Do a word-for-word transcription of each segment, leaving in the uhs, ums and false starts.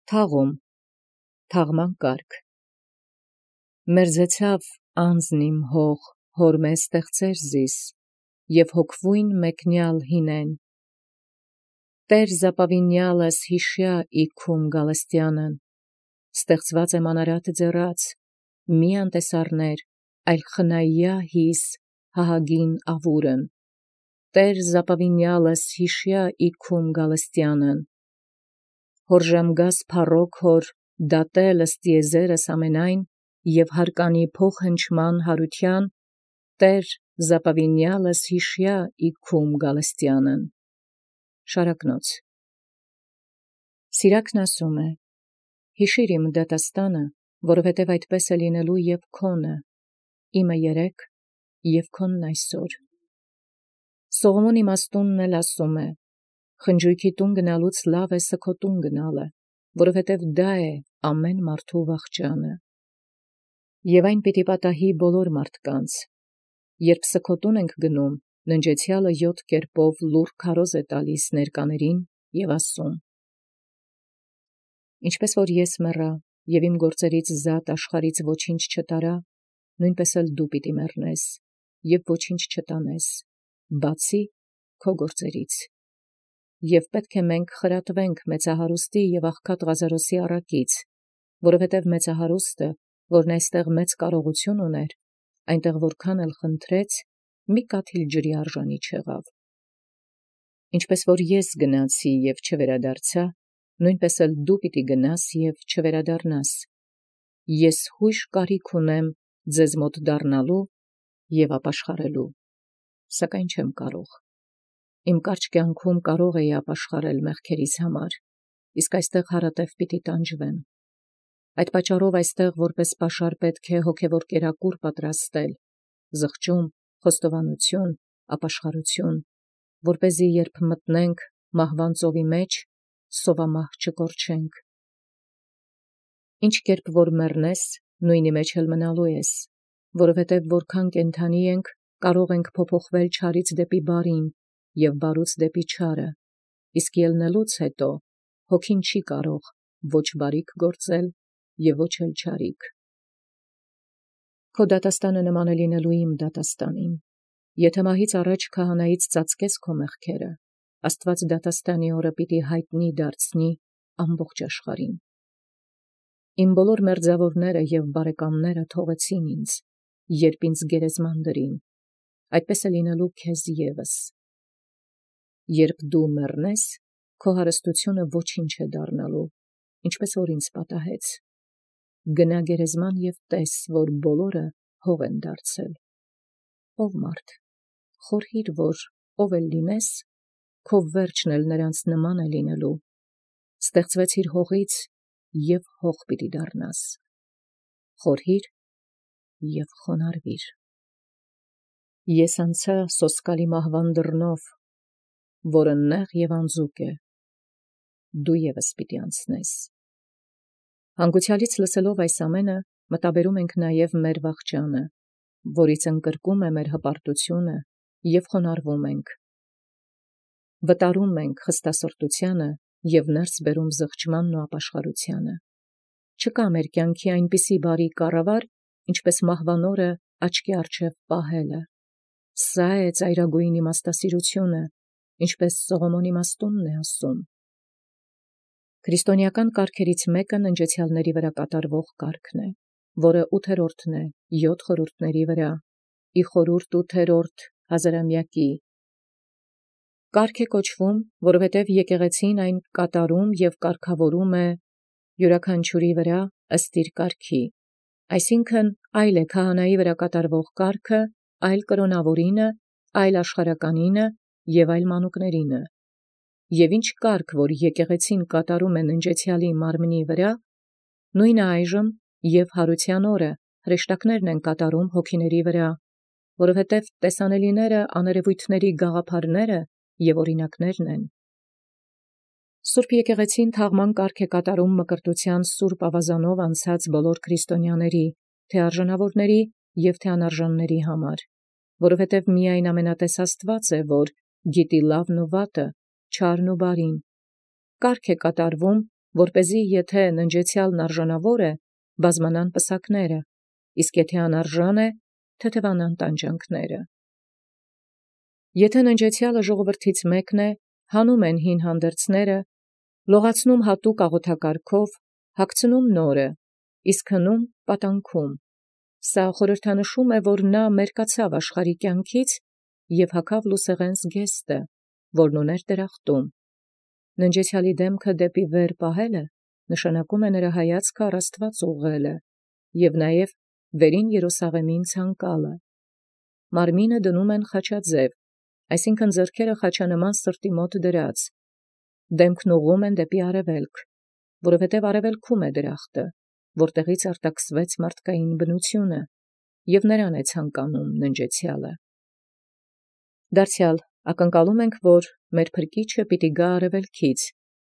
Թաղում, թաղման կարգ։ Մերձեցավ անձն իմ հող, հոր մեզ ստեղծեր զիս, և հոգվույն մեկնյալ հինեն։ Տեր զապավինյալս հիշյա իքում գալստյանն, ստեղծված եմ անարատ ձեռած, մի անտեսարներ, այլ խնայյա հիս հահագին ավուրն։ Տեր զապավինյալս հիշյա իքում գալստյանն, հոր ժամգաս փառոք հոր դատել ըստիեզերս ամենայն, և հարկանի փոխ հնչման հարության, Տեր զապավինյալս հիշյա իքում գալստյանն։ Շարակնոց։ Սիրակն ասում է. հիշիր իմ դատաստանը, որովհետև այդպես է լինելու և քոնը, իմը երեկ և քոնն այսօր։ Սողոմոն իմաստունն էլ ասում է. խնջույքի տուն գնալուց լավ է սգո տուն գնալը, որովհետև դա է ամեն մարդու վախճանը։ Եվ այն պիտի պատահի բոլոր մարդկանց, երբ սգո տուն ենք գնում, ննջեցյալը յոթ կերպով լուռ քարոզ է տալիս ներկաներին և ասում. Ինչպես որ ես մեռա, և իմ գործերից զատ աշխարհից ոչինչ չտարա, նույնպես էլ դու պիտի մեռնես, և ոչինչ չտանես, բացի քո գործերից։ Եվ պետք է մենք խրատվենք մեծահարուստի և աղքատ Ղազարոսի առակից, որովհետև մեծահարուստը, որն այստեղ մեծ կարողություն ուներ, այնտեղ որքան էլ խնդրեց, մի կաթիլ ջրի արժանի չեղավ։ Ինչպես որ ես գնացի և չվերադարձա, նույնպես էլ դու պիտի գնաս և չվերադառնաս։ Ես հույժ կարիք ունեմ ձեզ մոտ դառնալու և ապաշխարելու, սակայն չեմ կարող։ Իմ կարճ կյանքում կարող էի ապաշխարել մեղքերիս համար, իսկ այստեղ հարատև պիտի տանջվեմ։ Այդ պատճառով այստեղ որպես պաշար պետք է հոգևոր կերակուր պատրաստել, զղջում, խոստովանություն, ապաշխարություն, որպեսզի երբ մտնենք մահվան ծովի մեջ, սովամահ չկորչենք։ Ինչ կերպ որ մեռնես, նույնի մեջ էլ մնալու ես, որովհետև որքան կենդանի ենք, կարող ենք փոփոխվել չարից դեպի բարին և բարուց դեպի չարը, իսկ ելնելուց հետո հոգին չի կարող ոչ բարիք գործել և ոչ էլ չարիք։ Քո դատաստանը նման է լինելու իմ դատաստանին։ Եթե մահից առաջ քահանայից ծածկես քո մեղքերը, Աստված դատաստանի օրը պիտի հայտնի դարձնի ամբողջ աշխարհին։ Իմ բոլոր մերձավորները և բարեկամները թողեցին ինձ, երբ ինձ գերեզման դրին, այդպես է լինելու քեզ ևս։ Երբ դու մեռնես, քո հարստությունը ոչինչ է դառնալու, ինչպես որ ինձ պատահեց։ Գնա գերեզման և տես, որ բոլորը հող են դարձել։ Ով մարդ, խորհիր, որ ով էլ լինես, քո վերջն էլ նրանց նման է լինելու։ Ստեղծվեցիր հողից և հող պիտի դառնաս։ Խորհիր և խոնարհվիր։ Ես անցա սոսկալի մահվան դռնով, որը նեղ և անձուկ է, դու ևս պիտի անցնես։ Հանգուցյալից լսելով այս ամենը, մտաբերում ենք նաև մեր վախճանը, որից ընկրկում է մեր հպարտությունը և խոնարհվում ենք։ Վտարում ենք խստասրտությանը և ներս բերում զղջմանն ու ապաշխարությանը։ Չկա մեր կյանքի այնպիսի բարի կառավար, ինչպես մահվան օրը աչքի առջև պահելը։ Սա է ծայրագույն իմաստասիրությունը, ինչպես Սողոմոն իմաստունն է ասում։ Քրիստոնեական կարգերից մեկը ննջեցյալների վրա կատարվող կարգն է, որը ութերորդն է յոթ խորհուրդների վրա, ի խորհուրդ ութերորդ հազարամյակի։ Կարգ է կոչվում, որովհետև եկեղեցին այն կատարում և կարգավորում է յուրաքանչյուրի վրա ըստ իր կարգի, այսինքն այլ է քահանայի վրա կատարվող կարգը, այլ կրոնավորինը, այլ աշխարհականինը և այլ մանուկներինը։ Եվ ինչ կարգ, որ եկեղեցին կատարում է ննջեցյալի մարմնի վրա, նույնը այժմ և հարության օրը հրեշտակներն են կատարում հոգիների վրա, որովհետև տեսանելիները աներևույթների գաղափարները և օրինակներն են։ Սուրբ եկեղեցին թաղման կարգ է կատարում մկրտության սուրբ ավազանով անցած բոլոր քրիստոնյաների, թե արժանավորների և թե անարժանների համար, որովհետև միայն ամենատես Աստված է, որ գիտի լավն ու վատը, չարն ու բարին։ Կարգ է կատարվում որպեսզի եթէ ննջեցեալն արժանաւոր է, բազմանան պսակները, իսկ եթէ անարժան է, թեթևանան տանջանքները։ Եթէ ննջեցեալը ժողովրդից մեկն է, հանում են հին հանդերձները, լողացնում հատուկ աղոթակարգով, հագցնում նորը, իսկ հնում պատանքում։ Սա խորհրդանշում է, որ նա մերկացավ աշխարհի կյանքից և հագավ լուսեղեն զգեստը, որն ուներ դրախտում։ Ննջեցեալի դեմքը դեպի վեր պահելը նշանակում է նրա հայացքը առ Աստված ուղղելը և նաև վերին Երուսաղեմին ցանկալը։ Մարմինը դնում են խաչաձև, այսինքն ձեռքերը խաչանման սրտի մոտ դրած, դեմքն ուղղում են դեպի արևելք, որովհետև արևելքում է դրախտը, որտեղից արտաքսվեց մարդկային բնությունը, և նրան է ցանկանում ննջեցեալը։ Դարձյալ ակնկալում ենք, որ մեր փրկիչը պիտի գա արևելքից,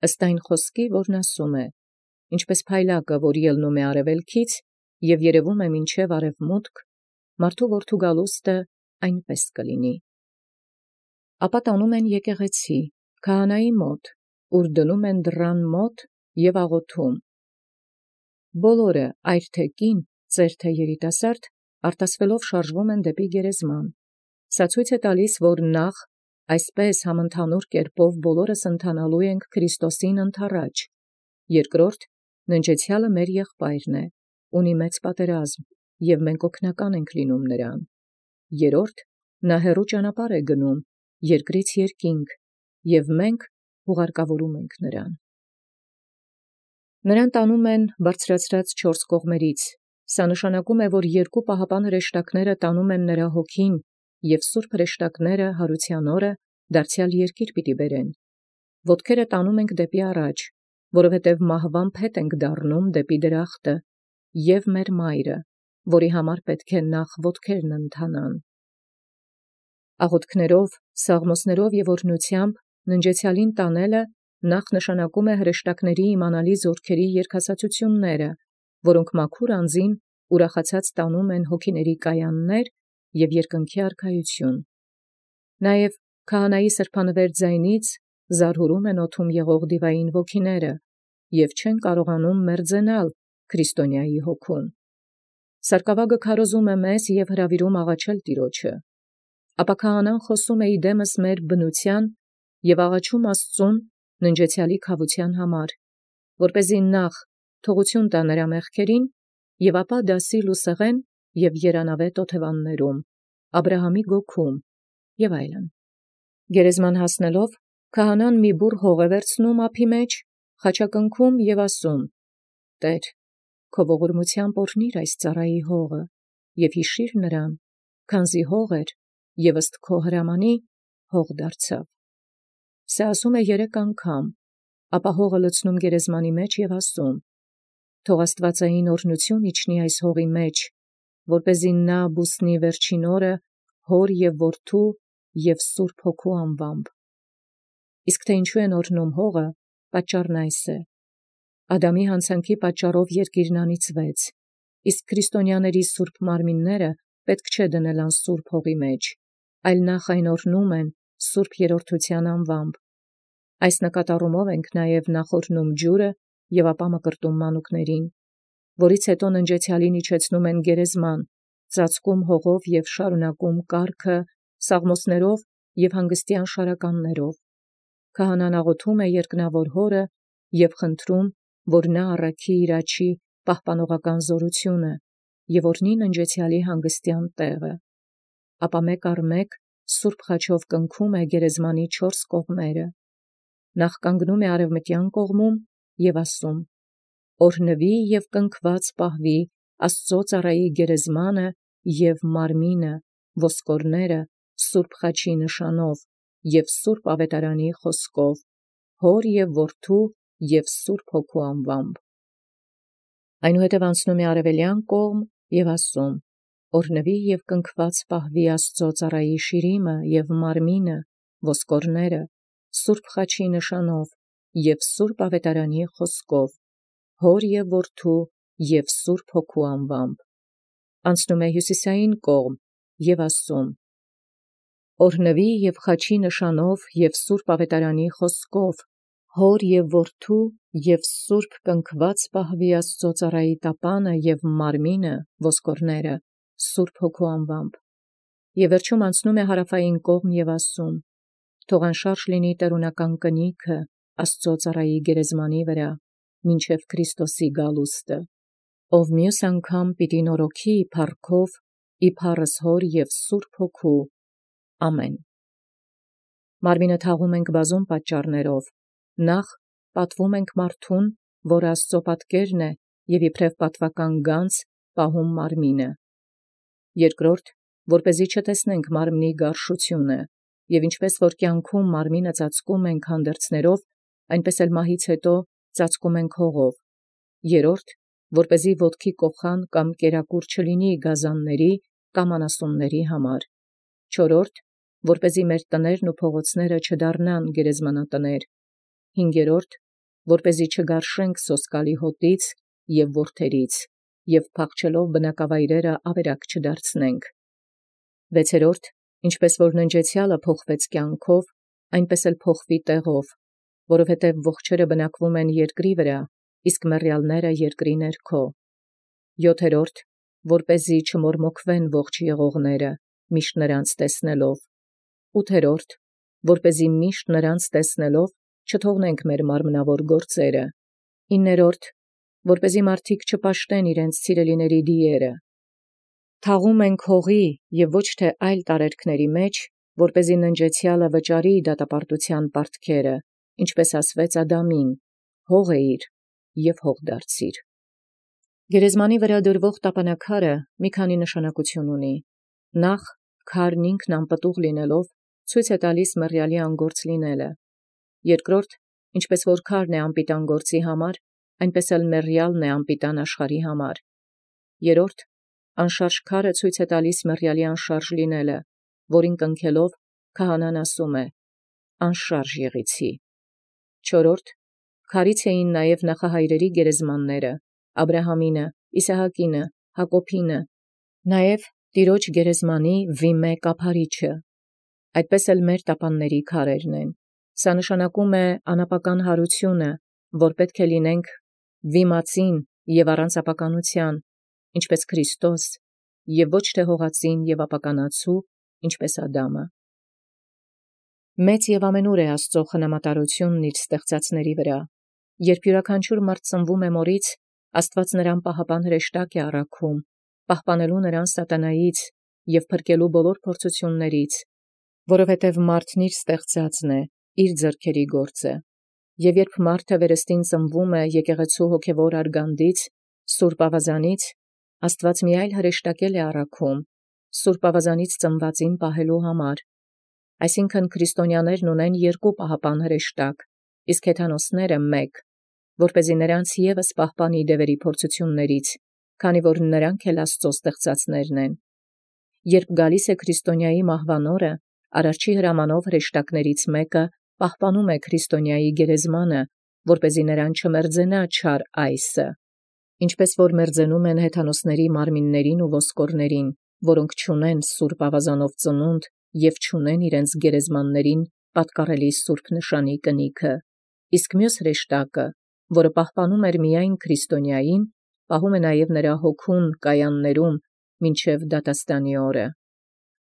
ըստ այն խոսքի, որն ասում է. ինչպես փայլակը, որ ելնում է արևելքից և երևում է մինչև արևմուտք, մարդու որդու գալուստը այնպես կլինի։ Ապա տանում են եկեղեցի, քահանայի մոտ, ուր դնում են դռան մոտ և աղոթում։ Բոլորը, այր թե կին, ծեր թե երիտասարդ, արտասվելով շարժվում են դեպի գերեզման։ Սա ցույց է տալիս, որ նախ այսպես համընդհանուր կերպով բոլորս ընթանալու ենք Քրիստոսին ընդառաջ, երկրորդ ննջեցեալը մեր եղբայրն է, ունի մեծ պատերազմ, և մենք օգնական ենք լինում նրան, երրորդ նա հեռու ճանապարհ է գնում, երկրից երկինք, և մենք հուղարկավորում ենք նրան։ Նրան տանում են բարձրացրած չորս կողմերից, սա նշանակում է, որ երկու պահապան հրեշտակները տանում են նրա հոգին, և սուրբ հրեշտակները հարության օրը դարձյալ երկիր պիտի բերեն։ Ոտքերը տանում ենք դեպի առաջ, որովհետև մահվան փետ ենք դառնում դեպի դրախտը, և մեր մայրը, որի համար պետք է նախ ոտքերն ընթանան։ Աղոթքներով, սաղմոսներով և օրհնությամբ ննջեցեալին տանելը նախ նշանակում է հրեշտակների իմանալի զորքերի երգասացությունները, որոնք մաքուր անձին ուրախացած տանում են հոգիների կայաններ և երկնքի արքայություն։ Նաև քահանայի սրբանվեր ձայնից զարհուրում են օդում եղող դիվային ոգիները և չեն կարողանում մերձենալ քրիստոնյայի հոգուն։ Սարկավագը քարոզում է մեզ և հրավիրում աղաչել Տիրոջը։ Ապա քահանան խոսում է իդեմս մեր բնության և աղաչում Աստծուն ննջեցեալի քավության համար, որպեսզի նախ թողություն տա նրա մեղքերին և ապա դասի լուսեղեն և երանավետ օթևաններում, Աբրահամի գոգում և այլն։ Գերեզման հասնելով, քահանան մի բուռ հող է վերցնում ափի մեջ, խաչակնքում և ասում. «Տեր, քո ողորմությամբ օրհնիր այս ծառայի հողը և հիշիր նրան, քանզի հող էր և ըստ քո հրամանի հող դարձավ»։ Սա ասում է երեք անգամ, ապա հողը լցնում գերեզմանի մեջ և ասում. «Թող աստվածային օրհնություն իջնի այս հողի մեջ, որպեսզի նա բուսնի վերջին օրը հոր և որդու և սուրբ հոգու անվամբ»։ Իսկ թե ինչու են օրհնում հողը, պատճառն այս է. Ադամի հանցանքի պատճառով երկիրն անիծվեց, իսկ քրիստոնյաների սուրբ մարմինները պետք չէ դնել անսուրբ հողի մեջ, այլ նախ այն օրհնում են սուրբ երրորդության անվամբ։ Այս նկատառումով ենք նաև նախ օրհնում ջուրը և ապա մկրտում մանուկներին, որից հետո ննջեցեալին իջեցնում են գերեզման, ծածկում հողով և շարունակում կարգը սաղմոսներով և հանգստյան շարականներով։ Քահանան աղոթում է երկնավոր Հորը և խնդրում, որ նա առաքի իր աջի պահպանողական զորությունը և օրհնի ննջեցեալի հանգստյան տեղը։ Ապա մեկ առ մեկ սուրբ խաչով կնքում է գերեզմանի չորս կողմերը։ Նախ կանգնում է արևմտյան կողմում և ասում. «Օրհնվի և կնքված պահվի Աստծո ծառայի գերեզմանը և մարմինը, ոսկորները սուրբ խաչի նշանով և սուրբ ավետարանի խոսքով, Հոր և Որդու և Սուրբ Հոգու անվամբ»։ Այնուհետև անցնում է արևելյան կողմ և ասում. «Օրհնվի և կնքված պահվի Աստծո ծառայի շիրիմը և մարմինը, ոսկորները սուրբ խաչի նշանով և սուրբ ավետարանի խոսքով, Հոր և Որդու և Սուրբ Հոգու անվամբ»։ Անցնում է հյուսիսային կողմ և ասում. «Օրհնվի և խաչի նշանով և սուրբ ավետարանի խոսքով, հոր և որդու և սուրբ կնքված պահվի Աստուծո ծառայի տապանը և մարմինը ոսկորները սուրբ հոգու անվամբ։ Եւ վերջում անցնում է հարավային կողմ եւ ասում. թող անշարժ լինի տերունական կնիքը Աստուծո ծառայի գերեզմանի վրա, մինչև Քրիստոսի գալուստը, ով մյուս անգամ պիտի նորոգի փառքով իբարս հոր և սուրբ հոգու։ Ամեն։ Մարմինը թաղում ենք բազում պատճառներով. նախ պատվում ենք մարդուն, որ Աստծո պատկերն է և իբրև պատվական գանձ պահում մարմինը. երկրորդ, որպեսզի չտեսնենք մարմնի գարշությունը, և ինչպես որ կյանքում մարմինը ծածկում ենք հանդերձներով, այնպես էլ մահից հետո ծածկում ենք հողով. երրորդ, որպեսզի ոտքի կոխան կամ կերակուր չլինի գազանների կամ անասունների համար. չորրորդ, որպեսզի մեր տներն ու փողոցները չդառնան գերեզմանատներ. հինգերորդ, որպեսզի չգարշենք սոսկալի հոտից և որդերից, և փախչելով բնակավայրերը ավերակ չդարձնենք. վեցերորդ, ինչպես որ ննջեցյալը փոխվեց կյանքով, այնպես էլ փոխվի տեղով, որովհետև ողջերը բնակվում են երկրի վրա, իսկ մեռյալները երկրի ներքո. յոթերորդ, որպեսզի չմորմոքվեն ողջ եղողները, միշտ նրանց տեսնելով. ութերորդ, որպեսզի միշտ նրանց տեսնելով չթողնենք մեր մարմնավոր գործերը. իններորդ, որպեսզի մարդիկ չպաշտեն իրենց սիրելիների դիերը. թաղում ենք հողի և ոչ թե այլ տարերքների մեջ, որպեսզի ննջեցյալը վճարի դատապարտության պարտքերը, ինչպես ասվեց Ադամին. հող էիր և հող դարձիր։ Գերեզմանի վրա դրվող տապանաքարը մի քանի նշանակություն ունի. նախ, քարն ինքն անպտուղ լինելով, ցույց է տալիս մեռյալի անգործ լինելը. երկրորդ, ինչպես որ քարն է անպիտան գործի համար, այնպես էլ մեռյալն է անպիտան աշխարհի համար. երրորդ, անշարժ քարը ցույց է տալիս մեռյալի անշարժ լինելը, որին կնքելով քահանան ասում է. անշարժ եղեցի։ չորրորդ, քարից էին նաև նախահայրերի գերեզմանները, Աբրահամինը, Իսահակինը, Հակոբինը, նաև Տիրոջ գերեզմանի Վիմե կափարիչը, այդպես էլ մեր տապանների քարերն են։ Սա նշանակում է անապական հարությունը, որ պետք է լինենք վիմացին և առանց ապականության, ինչպես Քրիստոս, և ոչ թե հողածին և ապականացու, ինչպես Ադամը։ Մեծ և ամենուր է Աստծո խնամատարությունն իր ստեղծածների վրա. երբ յուրաքանչյուր մարդ ծնվում է մորից, Աստված նրան պահապան հրեշտակ է առաքում, պահպանելու նրան սատանայից և փրկելու բոլոր փորձություններից, որովհետև մարդն իր ստեղծածն է, իր ձեռքերի գործը։ Եվ երբ մարդը վերստին ծնվում է եկեղեցու հոգևոր արգանդից, Սուրբ Ավազանից, Աստված մի այլ հրեշտակել է առաքում, Սուրբ Ավազանից ծնվածին պահելու համար։ Այսինքն քրիստոնյաներն ունեն երկու պահապան հրեշտակ, իսկ հեթանոսները մեկ, որպեսզի նրանց ևս պահպանի դևերի փորձություններից, քանի որ նրանք էլ Աստծո ստեղծածներն են։ Երբ գալիս է քրիստոնյայի մահվան օրը, Արարչի հրամանով հրեշտակներից մեկը պահպանում է քրիստոնյայի գերեզմանը, որպեսզի նրան չմերձենա չար այսը, ինչպես որ մերձենում են հեթանոսների մարմիններին ու ոսկորներին, որոնք չունեն Սուրբ Ավազանով ծնունդ և չունեն իրենց գերեզմաններին պատկառելի սուրբ նշանի կնիքը, իսկ մյուս հրեշտակը, որը պահպանում էր միայն քրիստոնյային, պահում է նաև նրա հոգուն կայաններում մինչև դատաստանի օրը։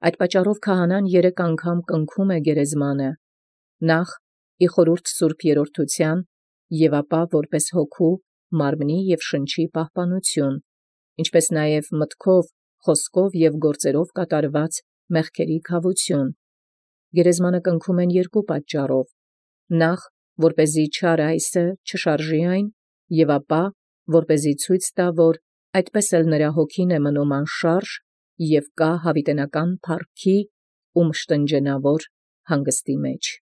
Այդ պատճառով քահանան երեք անգամ կնքում է գերեզմանը. նախ ի խորհուրդ սուրբ երրորդության, և ապա որպես հոգու, մարմնի և շնչի պահպանություն, ինչպես նաև մտքով, խոսքով և գործերով կատարված մեղքերի քավություն։ Գերեզմանը կնքում են երկու պատճառով. նախ, որպեսզի չար այսը չշարժի այն, և ապա, որպեսզի ցույց տա, որ այդպես էլ նրա հոգին է մնում անշարժ և կա հավիտենական փառքի ու մշտնջենավոր հանգստի մեջ։